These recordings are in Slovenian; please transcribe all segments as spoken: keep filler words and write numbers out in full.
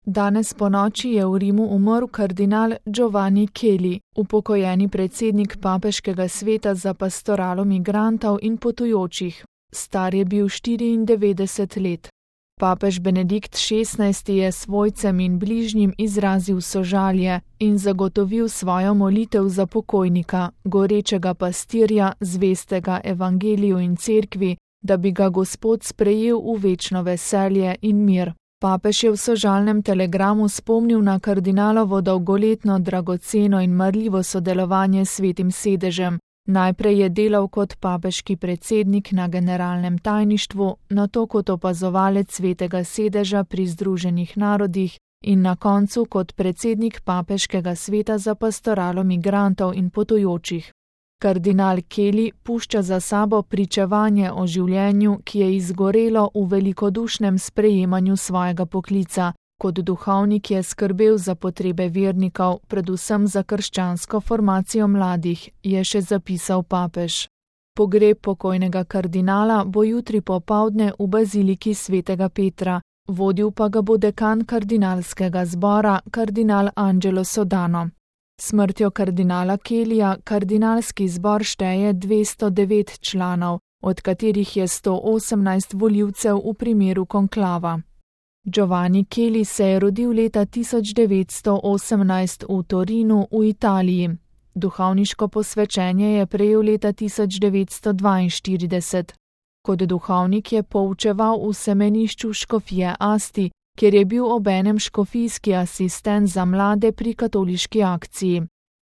Danes ponoči je v Rimu umrl kardinal Giovanni Kelly, upokojeni predsednik papeškega sveta za pastoralo migrantov in potujočih. Star je bil štiriindevetdeset let. Papež Benedikt šestnajsti je svojcem in bližnjim izrazil sožalje in zagotovil svojo molitev za pokojnika, gorečega pastirja, zvestega evangeliju in cerkvi, da bi ga Gospod sprejel v večno veselje in mir. Papež je v sožalnem telegramu spomnil na kardinalovo dolgoletno, dragoceno in marljivo sodelovanje s Svetim sedežem. Najprej je delal kot papeški predsednik na generalnem tajništvu, nato kot opazovalec Svetega sedeža pri Združenih narodih in na koncu kot predsednik papeškega sveta za pastoralo migrantov in potujočih. Kardinal Kelly pušča za sabo pričevanje o življenju, ki je izgorelo v velikodušnem sprejemanju svojega poklica. Kot duhovnik je skrbel za potrebe vernikov, predvsem za krščansko formacijo mladih, je še zapisal papež. Pogreb pokojnega kardinala bo jutri popoldne v baziliki svetega Petra, vodil pa ga bo dekan kardinalskega zbora, kardinal Angelo Sodano. Smrtjo kardinala Kellyja kardinalski zbor šteje dvesto devet članov, od katerih je sto osemnajst volivcev v primeru konklava. Giovanni Kelly se je rodil leta tisoč devetsto osemnajst v Torinu v Italiji. Duhovniško posvečenje je prejel leta tisoč devetsto dvainštirideset. Kot duhovnik je poučeval v semenišču škofije Asti, kjer je bil obenem škofijski asistent za mlade pri katoliški akciji.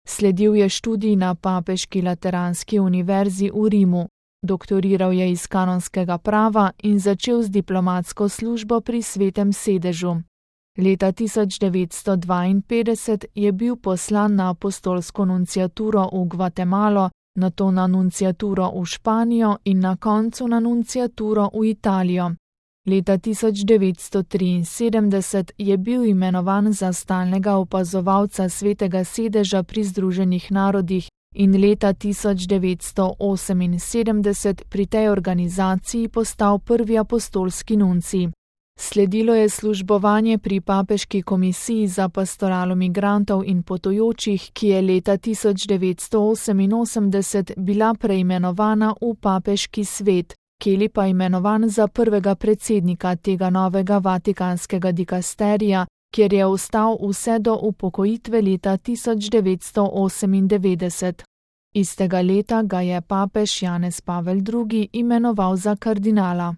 Sledil je študij na Papeški lateranski univerzi v Rimu. Doktoriral je iz kanonskega prava in začel z diplomatsko službo pri Svetem sedežu. Leta tisoč devetsto dvainpetdeset je bil poslan na apostolsko nunciaturo v Gvatemalo, nato na nunciaturo v Španijo in na koncu na nunciaturo v Italijo. Leta tisoč devetsto triinsedemdeset je bil imenovan za stalnega opazovalca Svetega sedeža pri Združenih narodih in leta tisoč devetsto oseminsedemdeset pri tej organizaciji postal prvi apostolski nuncij. Sledilo je službovanje pri papeški komisiji za pastoralo migrantov in potujočih, ki je leta tisoč devetsto oseminosemdeset bila preimenovana v papeški svet, Kelly pa imenovan za prvega predsednika tega novega vatikanskega dikasterija, kjer je ostal vse do upokojitve leta tisoč devetsto osemindevetdeset. Istega leta ga je papež Janez Pavel drugi imenoval za kardinala.